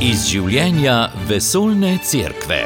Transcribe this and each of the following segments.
Iz življenja vesoljne cerkve.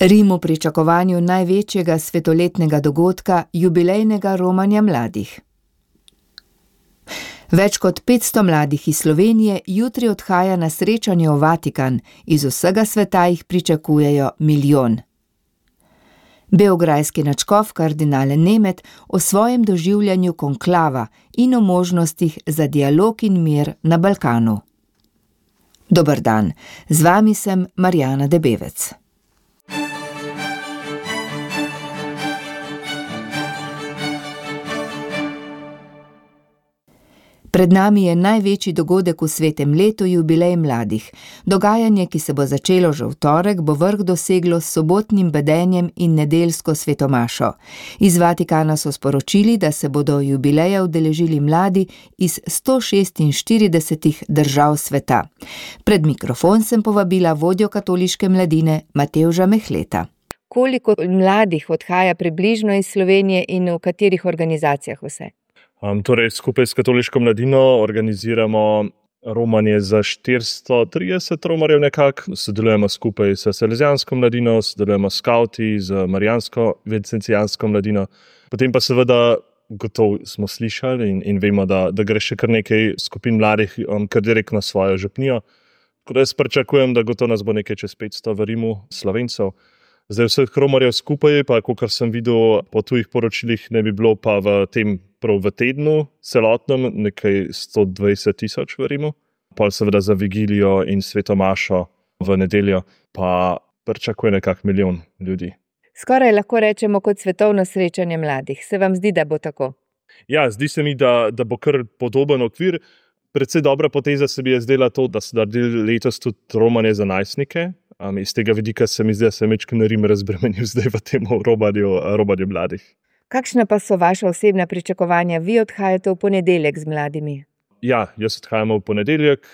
Rim v pričakovanju največjega svetoletnega dogodka, jubilejnega romanja mladih. Več kot 500 mladih iz Slovenije jutri odhaja na srečanje v Vatikan, iz vsega sveta jih pričakujejo milijon. Beograjski nadškof kardinal Nemet o svojem doživljanju konklava in o možnostih za dialog in mir na Balkanu. Dober dan, z vami sem Marjana Debevec. Pred nami je največji dogodek v svetem letu, jubilej mladih. Dogajanje, ki se bo začelo že v torek, bo vrh doseglo s sobotnim bedenjem in nedeljsko svetomašo. Iz Vatikana so sporočili, da se bodo jubileja udeležili mladi iz 146 držav sveta. Pred mikrofon sem povabila vodjo katoliške mladine Matevža Mehleta. Koliko mladih odhaja približno iz Slovenije in v katerih organizacijah vse? Torej, skupaj s katoliško mladino organiziramo romanje za 430 romarjev nekako. Sodelujemo skupaj s salezijansko mladino, sodelujemo s skauti, z marijansko vincentijansko mladino. Potem pa seveda gotovo smo slišali in vemo, da gre še kar nekaj skupin mladih kar direkt na svojo župnijo. Tako da jaz pričakujem, da gotovo nas bo nekaj čez 500 v Rimu Slovencev. Zdaj vseh romarjev skupaj, pa kakor sem videl po tujih poročilih, ne bi bilo pa v tednu celotnem nekaj 120,000 v Rimu. Pol seveda za vigilijo in svetomašo v nedeljo pa pričakuje nekak milijon ljudi. Skoraj lahko rečemo kot svetovno srečanje mladih. Se vam zdi, da bo tako? Ja, zdi se mi, da bo kar podoben okvir. Predvsej dobra poteza se mi je zdela to, da so naredili letos tudi romanje za najstnike. Iz tega vidika se mi zdi, da se je Rim razbremenil zdaj v tem romanju mladih. Kakšna pa so vaša osebna pričakovanja? Vi odhajate v ponedeljek z mladimi. Ja, jaz odhajam v ponedeljek.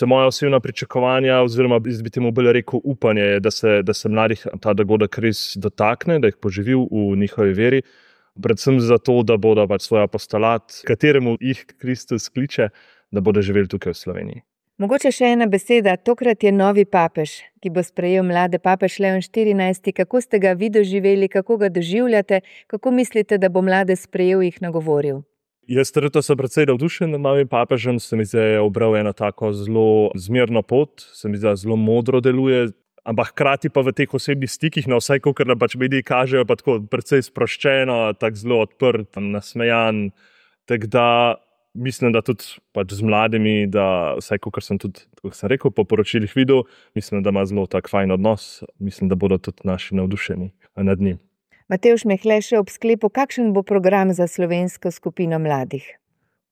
Moja osebna pričakovanja, oziroma bi temu bolj rekel upanje, je, da se mladih ta dogodek res dotakne, da jih poživi v njihovi veri. Predvsem zato, da bodo svoj apostolat, kateremu jih Kristus kliče, da bodo živeli tukaj v Sloveniji. Mogoče še ena beseda, tokrat je novi papež, ki bo sprejel mlade, papež Leon XIV. Kako ste ga vi doživeli, kako ga doživljate, kako mislite, da bo mlade sprejel, jih nagovoril? Jaz trenutno sem precej navdušen nad novim papežem, se mi zdi, da je ubral eno tako zelo zmerno pot, se mi zdi, da zelo modro deluje, ampak hkrati pa v teh osebnih stikih, vsaj kakor nam mediji kažejo, pa tako precej sproščeno, tako zelo odprt, nasmejan, tako da mislim, da tudi z mladimi, da vsaj kakor sem tudi, kot sem rekel, po poročilih videl, mislim, da ima zelo tak fajn odnos, mislim, da bodo tudi naši navdušeni nad njim. Matevž Mehle, še ob sklepu, kakšen bo program za slovensko skupino mladih?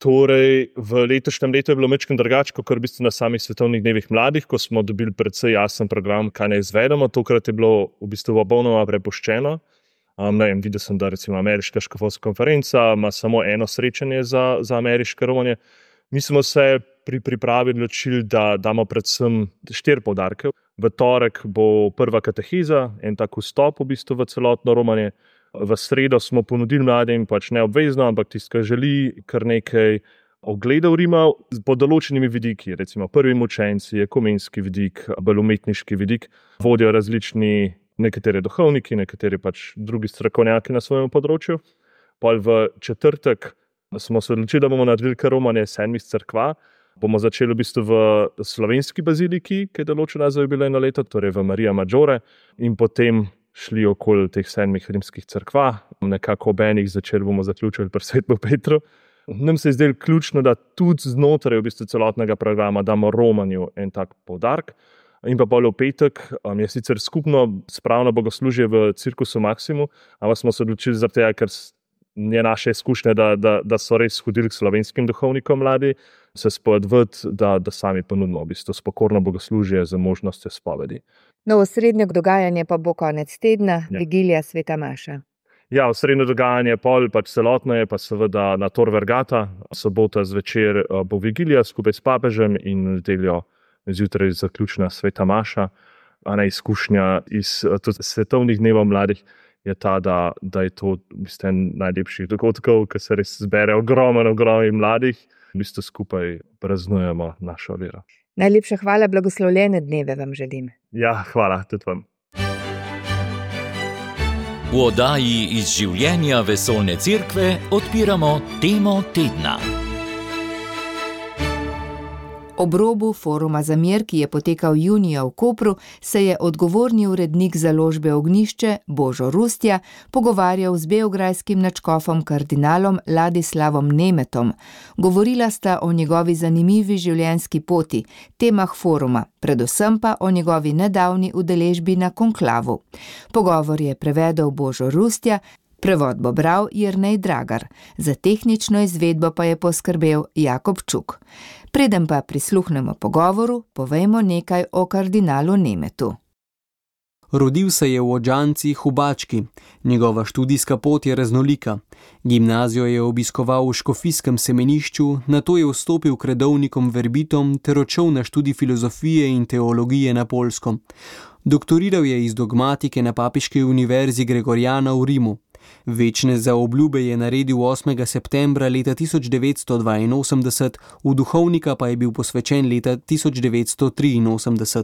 Torej, v letošnjem letu je bilo majčkeno drugače, kot v bistvu na samih svetovnih dnevih mladih, ko smo dobili precej jasen program, kaj naj izvedemo. Tokrat je bilo v bistvu popolnoma prepuščeno. Videl sem, da recimo ameriška škofovska konferenca ima samo eno srečanje za ameriške romanje. Mi smo se pri pripravi odločili, da damo predvsem 4 poudarke. V torek bo prva kateheza, en tak vstop v bistvu v celotno romanje. V sredo smo ponudili mladim neobvezno, ampak tisti, ki želi, kar nekaj ogledov Rima pod določenimi vidiki. Recimo prvi mučenci, ekumenski vidik, bolj umetniški vidik. Vodijo različni, nekateri duhovniki, nekateri drugi strokovnjaki na svojem področju. Pol v četrtek smo se odločili, da bomo naredili kar romanje 7 cerkva. Bomo začeli v bistvu v slovenski baziliki, ki je določena za jubilejno leto, torej v Maria Maggiore, in potem šli okoli teh 7 rimskih cerkva, nekako ob enih začeli bomo zaključili pri Svetem Petru. Nam se je zdelo ključno, da tudi znotraj v bistvu celotnega programa damo romanju en tak poudarek. In pa bolj v petek je sicer skupno spravno bogoslužje v Cirkusu Maximu, ampak smo se odločili zaradi tega, ker je naše izkušnje, da so res hodili k slovenskim duhovnikom mladi, se spovedati, da sami ponudimo v bistvu spokorno bogoslužje z možnostjo spovedi. Osrednje dogajanje pa bo konec tedna, Vigilija Sveta Maša. Ja, osrednje dogajanje celotno je pa seveda na Tor Vergata. Sobota zvečer bo Vigilija skupaj s papežem in nedeljo zjutraj zaključna Sveta Maša. Ena izkušnja iz svetovnih dnevov mladih je ta, da je to v bistvu en najlepših dogodkov, ker se res zbere ogromno mladih, v bistvu skupaj praznujemo našo vero. Najlepša hvala, blagoslovljene dneve vam želim. Ja, hvala tudi vam. V oddaji iz življenja Vesoljne cerkve odpiramo temo tedna. Ob robu Foruma za mir, ki je potekal junija v Kopru, se je odgovorni urednik založbe Ognjišče Božo Rustja pogovarjal z beograjskim nadškofom kardinalom Ladislavom Nemetom. Govorila sta o njegovi zanimivi življenjski poti, temah foruma, predvsem pa o njegovi nedavni udeležbi na konklavu. Pogovor je prevedel Božo Rustja, prevod bo bral Jernej Dragar, za tehnično izvedbo pa je poskrbel Jakob Čuk. Preden pa prisluhnemo pogovoru, povejmo nekaj o kardinalu Nemetu. Rodil se je v Odžancih v Bački. Njegova študijska pot je raznolika. Gimnazijo je obiskoval v škofijskem semenišču, nato je vstopil k redovnikom verbitom ter odšel na študij filozofije in teologije na Poljsko. Doktoriral je iz dogmatike na Papiški univerzi Gregoriana v Rimu. Večne zaobljube je naredil 8. septembra leta 1982, v duhovnika pa je bil posvečen leta 1983.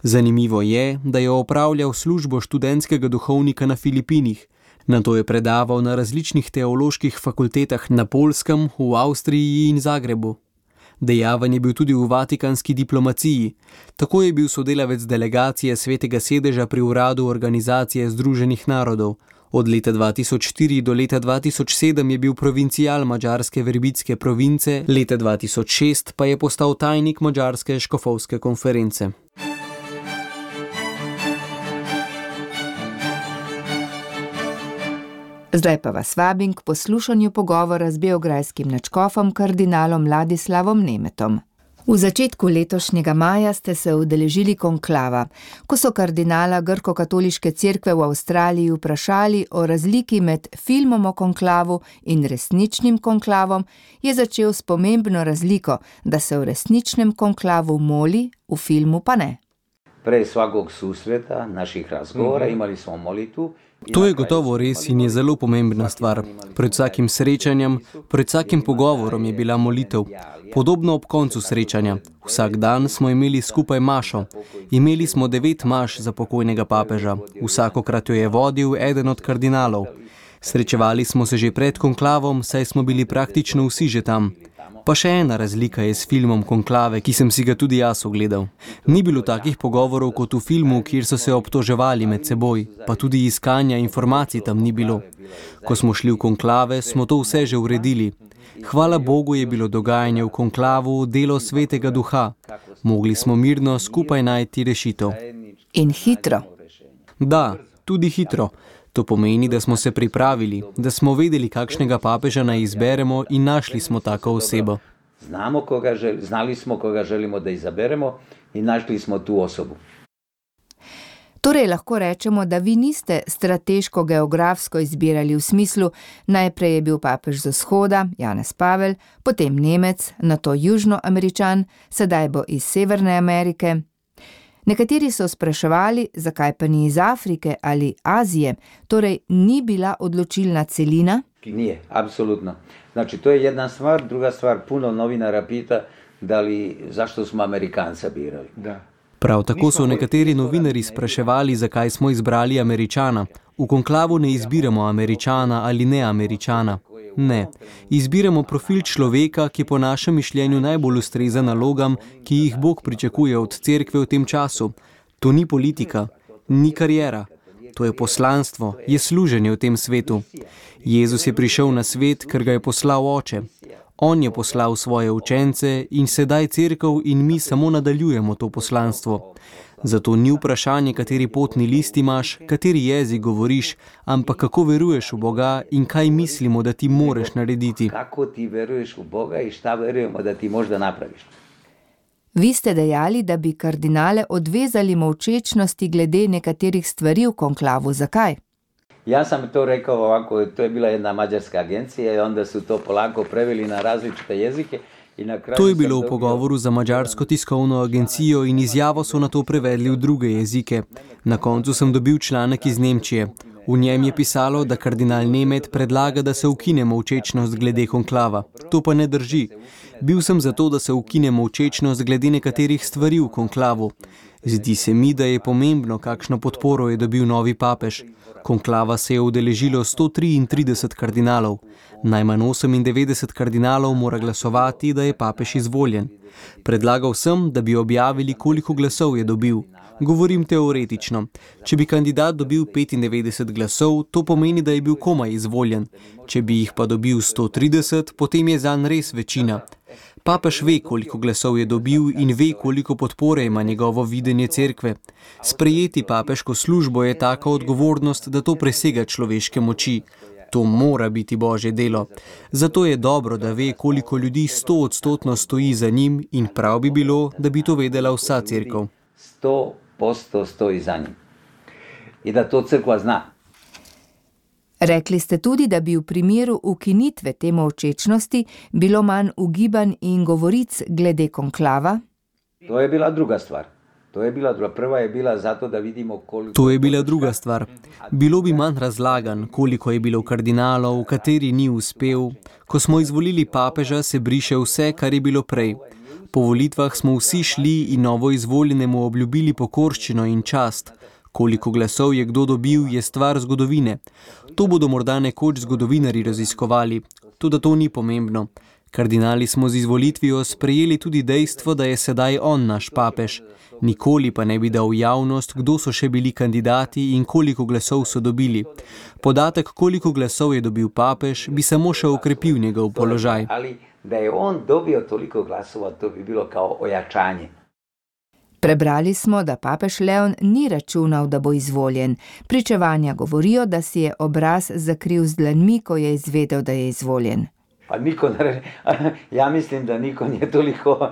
Zanimivo je, da je opravljal službo študentskega duhovnika na Filipinih. Nato je predaval na različnih teoloških fakultetah na Poljskem, v Avstriji in Zagrebu. Dejaven je bil tudi v vatikanski diplomaciji. Tako je bil sodelavec delegacije Svetega sedeža pri uradu Organizacije združenih narodov. Od leta 2004 do leta 2007 je bil provincial madžarske verbitske province, leta 2006 pa je postal tajnik madžarske škofovske konference. Zdaj pa vas vabim k poslušanju pogovora z beograjskim nadškofom kardinalom Ladislavom Nemetom. V začetku letošnjega maja ste se udeležili konklava, ko so kardinala Grko-katoliške cerkve v Avstraliji vprašali o razliki med filmom o konklavu in resničnim konklavom, je začel s pomembno razliko, da se v resničnem konklavu moli, v filmu pa ne. Prej svakog susreta, naših razgovora, imali smo molitvu. To je gotovo res in je zelo pomembna stvar. Pred vsakim srečanjem, pred vsakim pogovorom je bila molitev. Podobno ob koncu srečanja. Vsak dan smo imeli skupaj mašo. Imeli smo 9 maš za pokojnega papeža. Vsakokrat jo je vodil eden od kardinalov. Srečevali smo se že pred konklavom, saj smo bili praktično vsi že tam. Pa še ena razlika je s filmom Konklave, ki sem si ga tudi jaz ogledal. Ni bilo takih pogovorov kot v filmu, kjer so se obtoževali med seboj, pa tudi iskanja informacij tam ni bilo. Ko smo šli v konklave, smo to vse že uredili. Hvala Bogu je bilo dogajanje v konklavu delo Svetega Duha. Mogli smo mirno skupaj najti rešitev. In hitro. Da, tudi hitro. To pomeni, da smo se pripravili, da smo vedeli, kakšnega papeža naj izberemo in našli smo tako osebo. Znali smo, koga želimo da izaberemo in našli smo tu osobu. Torej lahko rečemo, da vi niste strateško-geografsko izbirali v smislu, najprej je bil papež z vzhoda, Janez Pavel, potem Nemec, nato Južnoameričan, sedaj bo iz Severne Amerike. Nekateri so spraševali, zakaj pa ni iz Afrike ali Azije, torej ni bila odločilna celina? Nije, apsolutno. Znači, to je jedna stvar. Druga stvar, puno novinara pita zašto smo Amerikanca birali. Da. Prav tako so nekateri novinari spraševali, zakaj smo izbrali Američana. V konklavu ne izbiramo Američana ali ne Američana. Ne, izbiramo profil človeka, ki po našem mišljenju najbolj ustreza nalogam, ki jih Bog pričakuje od cerkve v tem času. To ni politika, ni kariera. To je poslanstvo, je služenje v tem svetu. Jezus je prišel na svet, ker ga je poslal Oče. On je poslal svoje učence in sedaj cerkev in mi samo nadaljujemo to poslanstvo. Zato ni vprašanje, kateri potni list imaš, kateri jezik govoriš, ampak kako veruješ v Boga in kaj mislimo, da ti moreš narediti. Kako ti veruješ v Boga in šta verujemo, da ti možda napraviš. Vi ste dejali, da bi kardinale odvezali molčečnosti glede nekaterih stvari v konklavu. Zakaj? Ja sam to rekao ovako, to je bila jedna mađarska agencija i onda su to polako preveli na različite jezike. To je bilo v pogovoru za mađarsko tiskovno agencijo in izjavo so na to prevedli v druge jezike. Na koncu sem dobil članek iz Nemčije. V njem je pisalo, da kardinal Nemet predlaga, da se ukine molčečnost glede konklava. To pa ne drži. Bil sem za to, da se ukine molčečnost glede nekaterih stvari v konklavu. Zdi se mi, da je pomembno, kakšno podporo je dobil novi papež. Konklava se je udeležilo 133 kardinalov. Najmanj 98 kardinalov mora glasovati, da je papež izvoljen. Predlagal sem, da bi objavili, koliko glasov je dobil. Govorim teoretično. Če bi kandidat dobil 95 glasov, to pomeni, da je bil komaj izvoljen. Če bi jih pa dobil 130, potem je zanj res večina. Papež ve, koliko glasov je dobil in ve, koliko podpore ima njegovo videnje cerkve. Sprejeti papeško službo je taka odgovornost, da to presega človeške moči. To mora biti Božje delo. Zato je dobro, da ve, koliko ljudi 100% stoji za njim in prav bi bilo, da bi to vedela vsa cerkev. 100% stoji za njim. In da to cerkva zna. Rekli ste tudi, da bi v primeru ukinitve te molčečnosti bilo manj ugibanj in govoric glede konklava? To je bila druga stvar. Prva je bila zato, da vidimo koliko... To je bila druga stvar. Bilo bi manj razlagan, koliko je bilo kardinalov, kateri ni uspel. Ko smo izvolili papeža, se briše vse, kar je bilo prej. Po volitvah smo vsi šli in novo izvoljenemu obljubili pokorščino in čast. Koliko glasov je kdo dobil, je stvar zgodovine. To bodo morda nekoč zgodovinarji raziskovali. Toda to ni pomembno. Kardinali smo z izvolitvijo sprejeli tudi dejstvo, da je sedaj on naš papež. Nikoli pa ne bi dal v javnost, kdo so še bili kandidati in koliko glasov so dobili. Podatek, koliko glasov je dobil papež, bi samo še okrepil njegov položaj. Ali da je on dobil toliko glasova, to bi bilo kao ojačanje. Prebrali smo, da papež Leon ni računal, da bo izvoljen. Pričevanja govorijo, da si je obraz zakril z dlanmi, ko je izvedel, da je izvoljen. Pa ja mislim, da niko nije toliko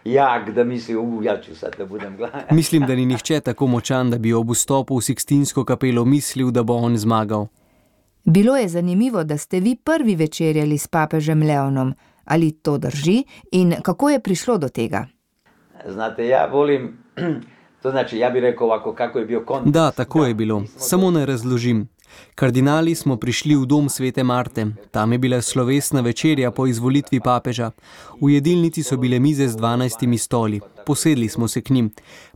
jak, da misli, ja ću sad da budem gladan. Mislim, da ni nihče tako močan, da bi ob vstopu v Sikstinsko kapelo mislil, da bo on zmagal. Bilo je zanimivo, da ste vi prvi večerjali s papežem Leonom. Ali to drži in kako je prišlo do tega? Znate, ja volim, to znači, ja bi rekel ovako, kako je bio kontekst. Da, tako je bilo. Samo ne razložim. Kardinali smo prišli v dom Svete Marte. Tam je bila slovesna večerja po izvolitvi papeža. V jedilnici so bile mize z 12 stoli. Posedli smo se k njim.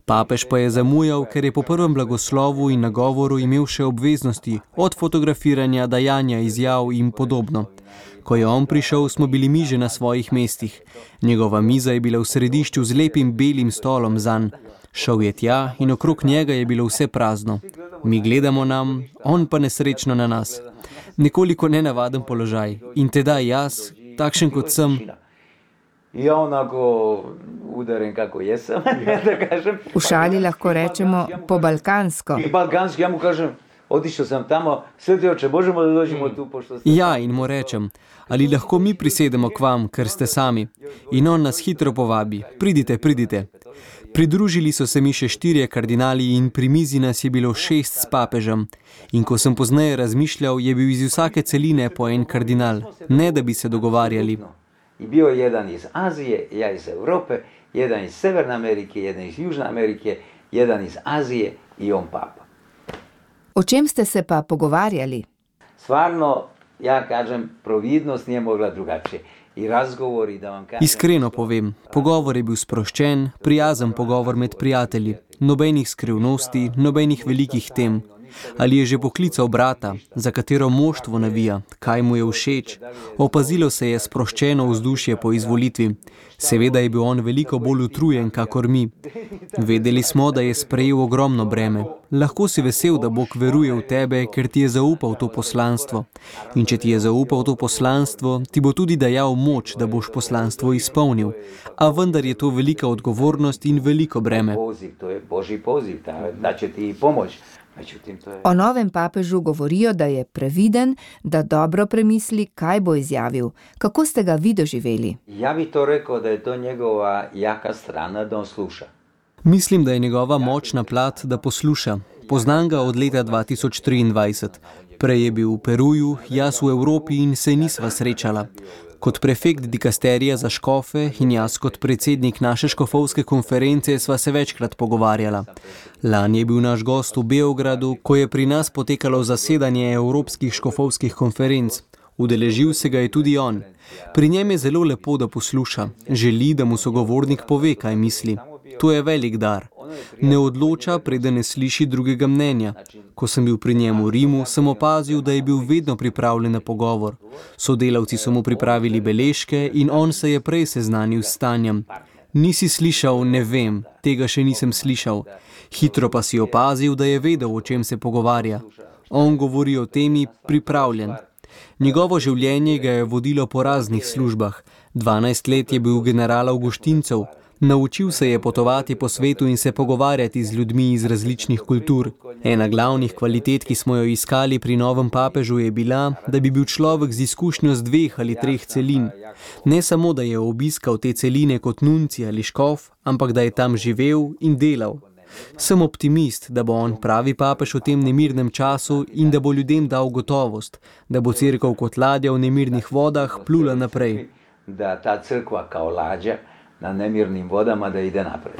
Papež pa je zamujal, ker je po prvem blagoslovu in nagovoru imel še obveznosti, od fotografiranja, dajanja izjav in podobno. Ko je on prišel, smo bili mi že na svojih mestih. Njegova miza je bila v središču z lepim belim stolom zanj. Šel je tja in okrog njega je bilo vse prazno. Mi gledamo nam, on pa nesrečno na nas. Nekoliko nenavaden položaj. In tedaj jaz, takšen kot sem. Ja onako udaren kako jesam, da kažem. V šali lahko rečemo po balkansko. Balkanski, ja mu kažem, Otišao sam tamo, Sveti oče, možemo da dođemo tu, pošto ste... Ja, in mu rečem, ali lahko mi prisedemo k vam, ker ste sami. In on nas hitro povabi, pridite, pridite. Pridružili so se mi še 4 kardinali in pri mizi nas je bilo 6 s papežem. In ko sem pozneje razmišljal, je bil iz vsake celine po en kardinal, ne da bi se dogovarjali. I bio je jedan iz Azije, ja iz Evrope, jedan iz Severne Amerike, jedan iz Južne Amerike, jedan iz Azije i on papa. O čem ste se pa pogovarjali? Stvarno, ja kažem, providnost nije mogla drugačije. I razgovori, da vam kažem... Iskreno povem, pogovor je bil sproščen, prijazen pogovor med prijatelji, nobenih skrivnosti, nobenih velikih tem. Ali je že poklical brata, za katero moštvo navija, kaj mu je všeč. Opazilo se je sproščeno vzdušje po izvolitvi. Seveda je bil on veliko bolj utrujen, kakor mi. Vedeli smo, da je sprejel ogromno breme. Lahko si vesel, da Bog veruje v tebe, ker ti je zaupal to poslanstvo. In če ti je zaupal to poslanstvo, ti bo tudi dajal moč, da boš poslanstvo izpolnil. A vendar je to velika odgovornost in veliko breme. To je Božji poziv, da će ti pomoč. O novem papežu govorijo, da je previden, da dobro premisli, kaj bo izjavil. Kako ste ga vi doživeli? Ja bi to rekao, da je to njegova jaka strana, da on sluša. Mislim, da je njegova močna plat, da posluša. Poznam ga od leta 2023. Prej je bil v Peruju, jaz v Evropi in se nisva srečala. Kot prefekt dikasterija za škofe in jaz kot predsednik naše škofovske konference sva se večkrat pogovarjala. Lani je bil naš gost v Beogradu, ko je pri nas potekalo zasedanje evropskih škofovskih konferenc. Udeležil se ga je tudi on. Pri njem je zelo lepo, da posluša. Želi, da mu sogovornik pove, kaj misli. To je velik dar. Ne odloča, preden ne sliši drugega mnenja. Ko sem bil pri njemu v Rimu, sem opazil, da je bil vedno pripravljen na pogovor. Sodelavci so mu pripravili beležke in on se je prej seznanil s stanjem. Nisi slišal, ne vem, tega še nisem slišal. Hitro pa si opazil, da je vedel, o čem se pogovarja. On govori o temi pripravljen. Njegovo življenje ga je vodilo po raznih službah. 12 let je bil general Avguštincev. Naučil se je potovati po svetu in se pogovarjati z ljudmi iz različnih kultur. Ena glavnih kvalitet, ki smo jo iskali pri novem papežu, je bila, da bi bil človek z izkušnjo z 2 ali 3 celin. Ne samo, da je obiskal te celine kot nunci ali škof, ampak da je tam živel in delal. Sem optimist, da bo on pravi papež v tem nemirnem času in da bo ljudem dal gotovost, da bo cerkev kot ladja v nemirnih vodah plula naprej. Da ta crkva kao ladja na nemirnim vodama da ide naprej.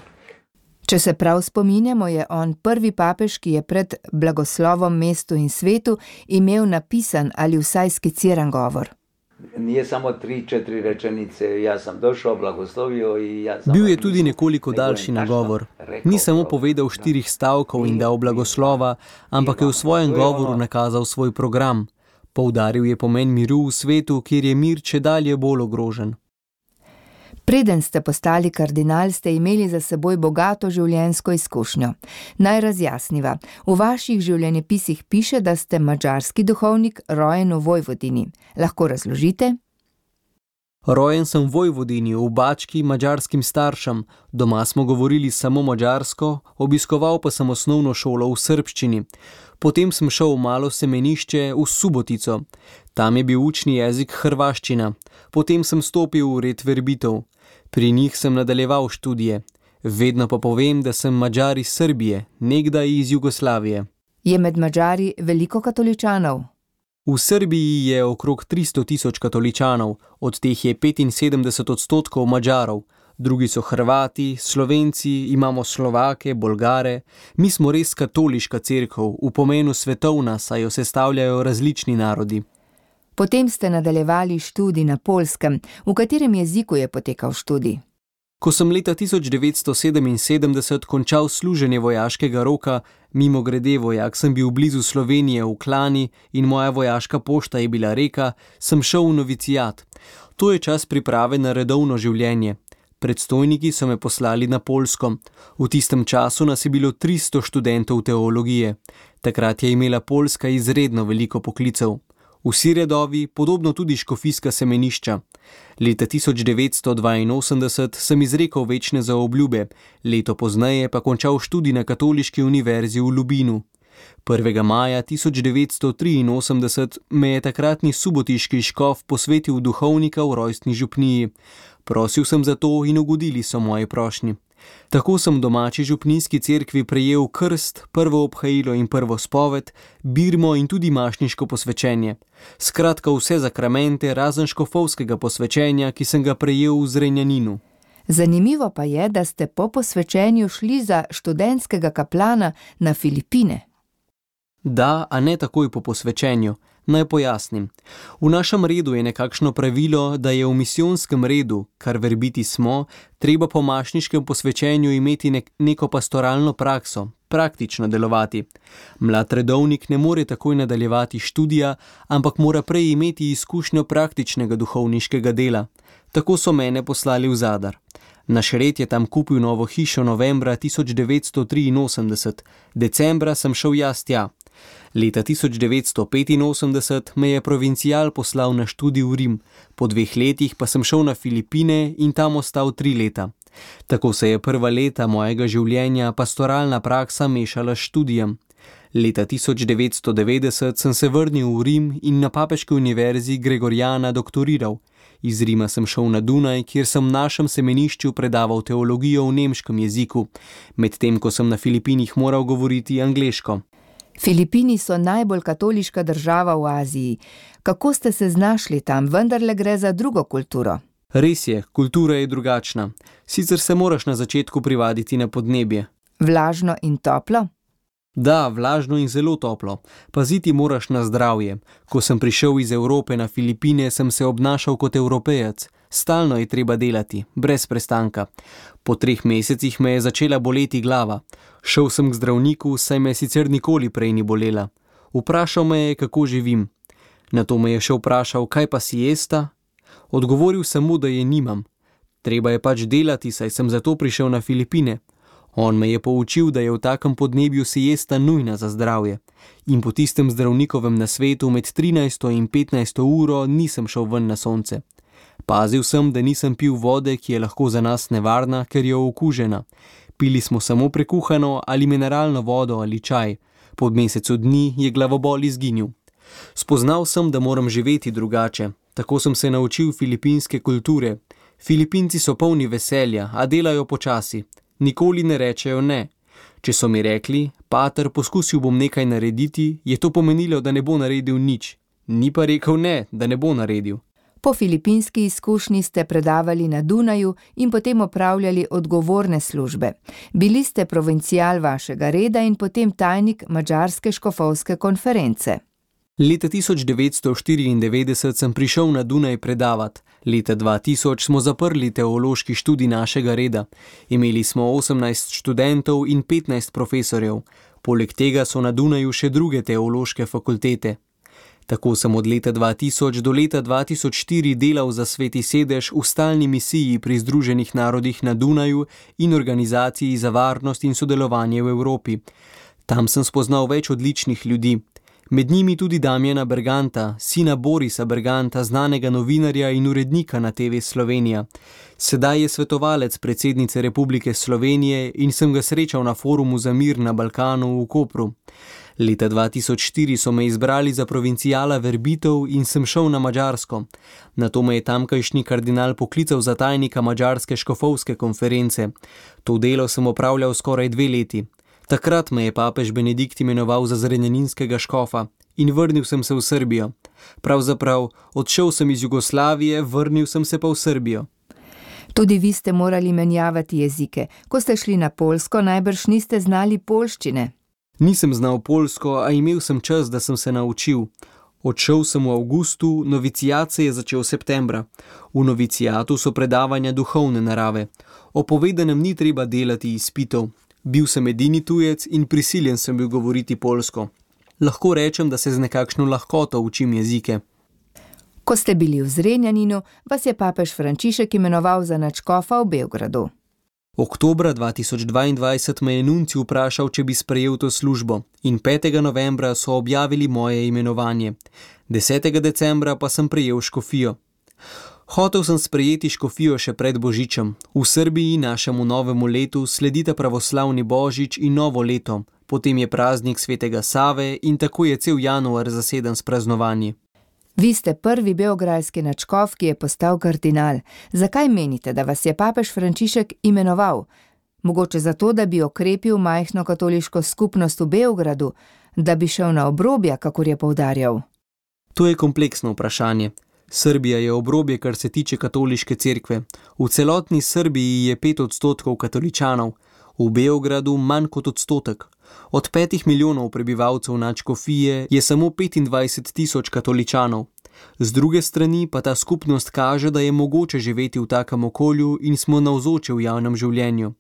Če se prav spominjamo, je on prvi papež, ki je pred blagoslovom mestu in svetu imel napisan ali vsaj skiciran govor. Nije samo 3-4 rečenice, ja sam došao, blagoslovio i ja sam... Bil je tudi nekoliko daljši nagovor. Ni samo povedal 4 stavkov in dal blagoslova, ampak je v svojem govoru nakazal svoj program. Poudaril je pomen miru v svetu, kjer je mir čedalje bolj ogrožen. Preden ste postali kardinal, ste imeli za seboj bogato življenjsko izkušnjo. Naj razjasniva. V vaših življenjepisih piše, da ste madžarski duhovnik, rojen v Vojvodini. Lahko razložite? Rojen sem v Vojvodini, v Bački, madžarskim staršem. Doma smo govorili samo madžarsko, obiskoval pa sem osnovno šolo v srbščini. Potem sem šel v malo semenišče v Subotico. Tam je bil učni jezik hrvaščina. Potem sem stopil v red verbitov. Pri njih sem nadaljeval študije. Vedno pa povem, da sem Madžar iz Srbije, nekdaj iz Jugoslavije. Je med Madžari veliko katoličanov? V Srbiji je okrog 300.000 katoličanov, od teh je 75% Madžarov. Drugi so Hrvati, Slovenci, imamo Slovake, Bolgare. Mi smo res katoliška cerkev, v pomenu svetovna, saj jo sestavljajo različni narodi. Potem ste nadaljevali študij na Poljskem. V katerem jeziku je potekal študij? Ko sem leta 1977 končal služenje vojaškega roka, mimogrede vojak sem bil blizu Slovenije v Klani in moja vojaška pošta je bila Reka, sem šel v novicijat. To je čas priprave na redovno življenje. Predstojniki so me poslali na Poljsko. V tistem času nas je bilo 300 študentov teologije. Takrat je imela Poljska izredno veliko poklicev. Vsi redovi, podobno tudi škofijska semenišča. Leta 1982 sem izrekel večne zaobljube, leto pozneje pa končal študij na Katoliški univerzi v Lubinu. 1. maja 1983 me je takratni subotiški škof posvetil duhovnika v rojstni župniji. Prosil sem za to in ugodili so moji prošnji. Tako sem v domači župnijski cerkvi prejel krst, prvo obhajilo in prvo spoved, birmo in tudi mašniško posvečenje. Skratka vse zakramente razen škofovskega posvečenja, ki sem ga prejel v Zrenjaninu. Zanimivo pa je, da ste po posvečenju šli za študentskega kaplana na Filipine. Da, a ne takoj po posvečenju. Naj pojasnim. V našem redu je nekakšno pravilo, da je v misijonskem redu, kar verbiti smo, treba po mašniškem posvečenju imeti neko pastoralno prakso, praktično delovati. Mlad redovnik ne more takoj nadaljevati študija, ampak mora prej imeti izkušnjo praktičnega duhovniškega dela. Tako so mene poslali v Zadar. Naš red je tam kupil novo hišo novembra 1983, decembra sem šel jaz tja. Leta 1985 me je provincial poslal na študij v Rim, po 2 letih pa sem šel na Filipine in tam ostal 3 leta. Tako se je prva leta mojega življenja pastoralna praksa mešala s študijem. Leta 1990 sem se vrnil v Rim in na Papeški univerzi Gregoriana doktoriral. Iz Rima sem šel na Dunaj, kjer sem v našem semenišču predaval teologijo v nemškem jeziku, medtem ko sem na Filipinih moral govoriti angleško. Filipini so najbolj katoliška država v Aziji. Kako ste se znašli tam, vendarle gre za drugo kulturo? Res je, kultura je drugačna. Sicer se moraš na začetku privaditi na podnebje. Vlažno in toplo? Da, vlažno in zelo toplo. Paziti moraš na zdravje. Ko sem prišel iz Evrope na Filipine, sem se obnašal kot Evropejec. Stalno je treba delati, brez prestanka. Po 3 mesecih me je začela boleti glava. Šel sem k zdravniku, saj me sicer nikoli prej ni bolela. Vprašal me je, kako živim. Nato me je še vprašal, kaj pa siesta? Odgovoril sem mu, da je nimam. Treba je pač delati, saj sem zato prišel na Filipine. On me je poučil, da je v takem podnebju siesta nujna za zdravje. In po tistem zdravnikovem nasvetu med 13. in 15. uro nisem šel ven na sonce. Pazil sem, da nisem pil vode, ki je lahko za nas nevarna, ker je okužena. Pili smo samo prekuhano ali mineralno vodo ali čaj. Po mesecu dni je glavobol izginil. Spoznal sem, da moram živeti drugače. Tako sem se naučil filipinske kulture. Filipinci so polni veselja, a delajo počasi. Nikoli ne rečejo ne. Če so mi rekli, pater, poskusil bom nekaj narediti, je to pomenilo, da ne bo naredil nič. Ni pa rekel ne, da ne bo naredil. Po filipinski izkušnji ste predavali na Dunaju in potem opravljali odgovorne službe. Bili ste provincial vašega reda in potem tajnik Madžarske škofovske konference. Leta 1994 sem prišel na Dunaj predavat. Leta 2000 smo zaprli teološki študij našega reda. Imeli smo 18 študentov in 15 profesorjev. Poleg tega so na Dunaju še druge teološke fakultete. Tako sem od leta 2000 do leta 2004 delal za Sveti sedež v stalni misiji pri Združenih narodih na Dunaju in organizaciji za varnost in sodelovanje v Evropi. Tam sem spoznal več odličnih ljudi. Med njimi tudi Damjana Berganta, sina Borisa Berganta, znanega novinarja in urednika na TV Slovenija. Sedaj je svetovalec predsednice Republike Slovenije in sem ga srečal na forumu za mir na Balkanu v Kopru. Leta 2004 so me izbrali za provincijala verbitev in sem šel na Madžarsko. Nato me je tamkajšnji kardinal poklical za tajnika Madžarske škofovske konference. To delo sem opravljal skoraj 2 leti. Takrat me je papež Benedikt imenoval za zrenjaninskega škofa in vrnil sem se v Srbijo. Pravzaprav, odšel sem iz Jugoslavije, vrnil sem se pa v Srbijo. Tudi vi ste morali menjavati jezike. Ko ste šli na Poljsko, najbrž niste znali poljščine. Nisem znal poljsko, a imel sem čas, da sem se naučil. Odšel sem v avgustu, novicijat se je začel septembra. V novicijatu so predavanja duhovne narave. O povedanem ni treba delati izpitov. Bil sem edini tujec in prisiljen sem bil govoriti poljsko. Lahko rečem, da se z nekakšno lahkoto učim jezike. Ko ste bili v Zrenjaninu, vas je papež Frančišek imenoval za nadškofa v Beogradu. Oktobra 2022 me je nuncij vprašal, če bi sprejel to službo in 5. novembra so objavili moje imenovanje. 10. decembra pa sem prejel škofijo. Hotel sem sprejeti škofijo še pred Božičem. V Srbiji našemu novemu letu sledita pravoslavni Božič in novo leto, potem je praznik svetega Save in tako je cel januar zaseden s praznovanji. Vi ste prvi beograjski nadškof, ki je postal kardinal. Zakaj menite, da vas je papež Frančišek imenoval? Mogoče zato, da bi okrepil majhno katoliško skupnost v Beogradu, da bi šel na obrobja, kakor je poudarjal? To je kompleksno vprašanje. Srbija je obrobje, kar se tiče katoliške cerkve. V celotni Srbiji je 5% katoličanov, v Beogradu manj kot 1%. Od 5 milijonov prebivalcev nadškofije je samo 25.000 katoličanov. Z druge strani pa ta skupnost kaže, da je mogoče živeti v takem okolju in smo navzoči v javnem življenju.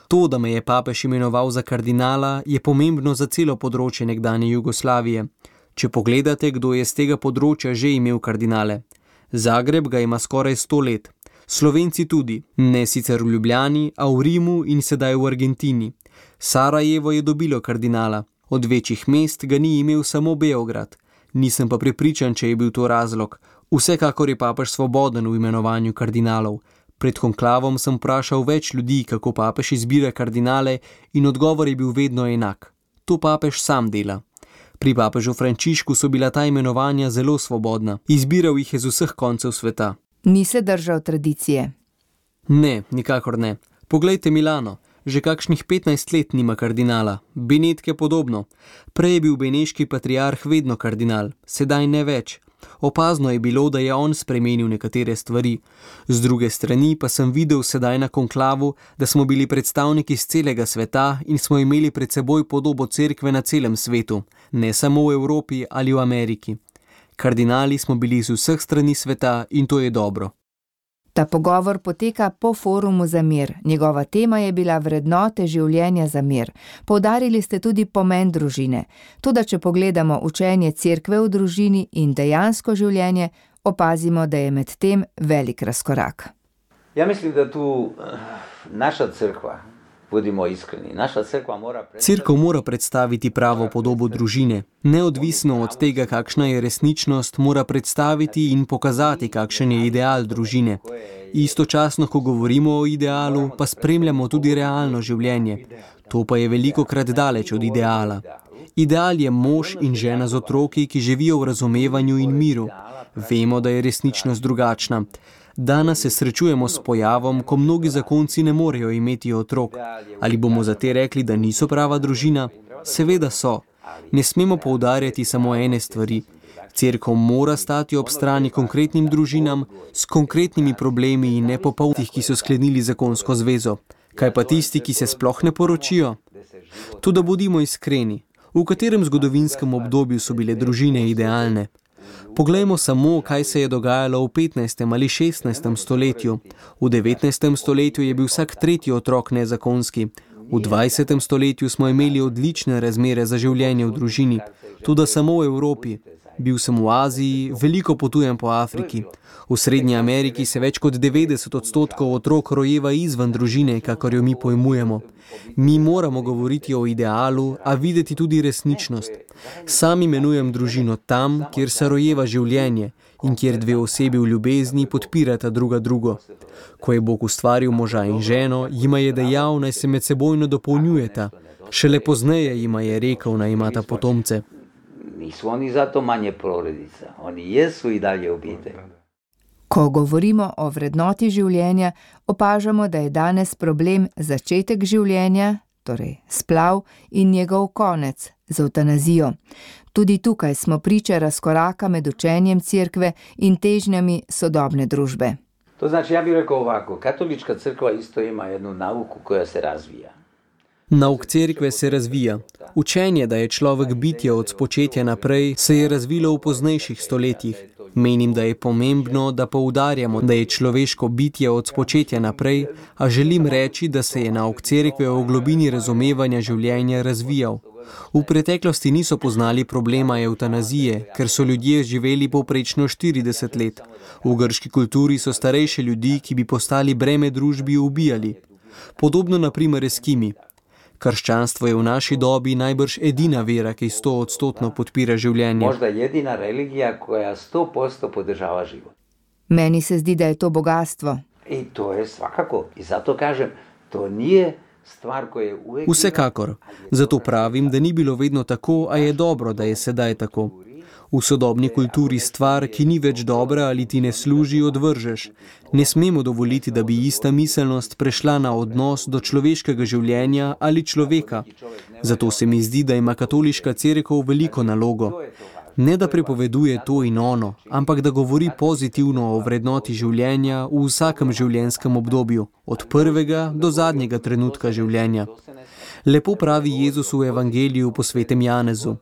To, da me je papež imenoval za kardinala, je pomembno za celo področje nekdanje Jugoslavije. Če pogledate, kdo je z tega področja že imel kardinale. Zagreb ga ima skoraj 100 let. Slovenci tudi, ne sicer v Ljubljani, a v Rimu in sedaj v Argentini. Sarajevo je dobilo kardinala. Od večjih mest ga ni imel samo Beograd. Nisem pa prepričan, če je bil to razlog. Vsekakor je papež svoboden v imenovanju kardinalov. Pred konklavom sem vprašal več ljudi, kako papež izbira kardinale, in odgovor je bil vedno enak. To papež sam dela. Pri papežu Frančišku so bila ta imenovanja zelo svobodna. Izbiral jih je z vseh koncev sveta. Ni se držal tradicije? Ne, nikakor ne. Poglejte Milano. Že kakšnih 15 let nima kardinala. Benedke podobno. Prej je bil beneški patriarh vedno kardinal, sedaj ne več. Opazno je bilo, da je on spremenil nekatere stvari. Z druge strani pa sem videl sedaj na konklavu, da smo bili predstavniki z celega sveta in smo imeli pred seboj podobo cerkve na celem svetu, ne samo v Evropi ali v Ameriki. Kardinali smo bili z vseh strani sveta in to je dobro. Ta pogovor poteka po forumu za mir. Njegova tema je bila vrednote življenja za mir. Poudarili ste tudi pomen družine. Toda če pogledamo učenje cerkve v družini in dejansko življenje, opazimo, da je med tem velik razkorak. Ja mislim, da tu naša cerkva, budimo iskreni, naša cerkva mora... Cerkev mora predstaviti pravo podobo družine. Neodvisno od tega, kakšna je resničnost, mora predstaviti in pokazati, kakšen je ideal družine. Istočasno, ko govorimo o idealu, pa spremljamo tudi realno življenje. To pa je velikokrat daleč od ideala. Ideal je mož in žena z otroki, ki živijo v razumevanju in miru. Vemo, da je resničnost drugačna. Danes se srečujemo s pojavom, ko mnogi zakonci ne morejo imeti otrok. Ali bomo za te rekli, da niso prava družina? Seveda so. Ne smemo poudarjati samo ene stvari. Cerkev mora stati ob strani konkretnim družinam, s konkretnimi problemi in ne popolnih, ki so sklenili zakonsko zvezo. Kaj pa tisti, ki se sploh ne poročijo? Toda bodimo iskreni. V katerem zgodovinskem obdobju so bile družine idealne? Poglejmo samo, kaj se je dogajalo v 15. ali 16. stoletju. V 19. stoletju je bil vsak tretji otrok nezakonski. V 20. stoletju smo imeli odlične razmere za življenje v družini. Toda samo v Evropi. Bil sem v Aziji, veliko potujem po Afriki. V Srednji Ameriki se več kot 90% otrok rojeva izven družine, kakor jo mi pojmujemo. Mi moramo govoriti o idealu, a videti tudi resničnost. Sam imenujem družino tam, kjer se rojeva življenje in kjer dve osebi v ljubezni podpirata druga drugo. Ko je Bog ustvaril moža in ženo, jima je dejal, naj se med sebojno dopolnjujeta. Šele pozneje jima je rekel, naj imata potomce. Nisu oni zato manje porodica, oni jesu i dalje obitelj. Ko govorimo o vrednoti življenja, opažamo, da je danes problem začetek življenja, torej splav, in njegov konec z evtanazijo. Tudi tukaj smo priče razkoraka med učenjem cerkve in težnjami sodobne družbe. To znači, ja bih rekao ovako, katolička crkva isto ima jednu nauku koja se razvija. Nauk cerkve se razvija. Učenje, da je človek bitje od spočetja naprej, se je razvilo v poznejših stoletjih. Menim, da je pomembno, da poudarjamo, da je človeško bitje od spočetja naprej, a želim reči, da se je nauk cerkve o globini razumevanja življenja razvijal. V preteklosti niso poznali problema evtanazije, ker so ljudje živeli povprečno 40 let. V grški kulturi so starejše ljudi, ki bi postali breme družbi, ubijali. Podobno na primer Eskimi. Krščanstvo je v naši dobi najbrž edina vera, ki 100% podpira življenje. Možda jedina religija, koja 100% podržava život. Meni se zdi, da je to bogatstvo. I to je svakako. I zato kažem, to nije stvar, ko je uvijek... Vsekakor. Zato pravim, da ni bilo vedno tako, a je dobro, da je sedaj tako. V sodobni kulturi stvar, ki ni več dobra ali ti ne služi, odvržeš. Ne smemo dovoliti, da bi ista miselnost prešla na odnos do človeškega življenja ali človeka. Zato se mi zdi, da ima katoliška cerkev veliko nalogo. Ne da prepoveduje to in ono, ampak da govori pozitivno o vrednoti življenja v vsakem življenjskem obdobju, od prvega do zadnjega trenutka življenja. Lepo pravi Jezus v evangeliju po svetem Janezu.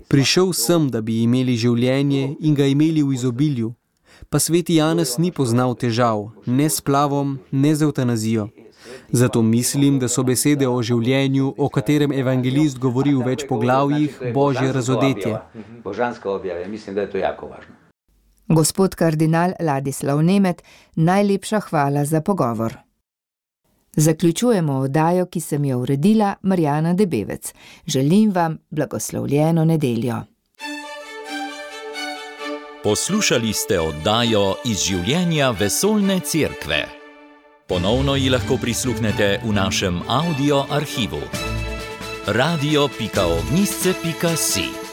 Prišel sem, da bi imeli življenje in ga imeli v izobilju. Pa sveti Janez ni poznal težav, ne s splavom, ne z evtanazijo. Zato mislim, da so besede o življenju, o katerem evangelist govori v več poglavjih, božje razodetje. Božanska objava, mislim, da je to jako važno. Gospod kardinal Ladislav Nemet, najlepša hvala za pogovor. Zaključujemo oddajo, ki sem jo uredila, Marjana Debevec. Želim vam blagoslovljeno nedeljo. Poslušali ste oddajo iz življenja Vesoljne cerkve. Ponovno ji lahko prisluhnete v našem audio arhivu. radio.ognisce.si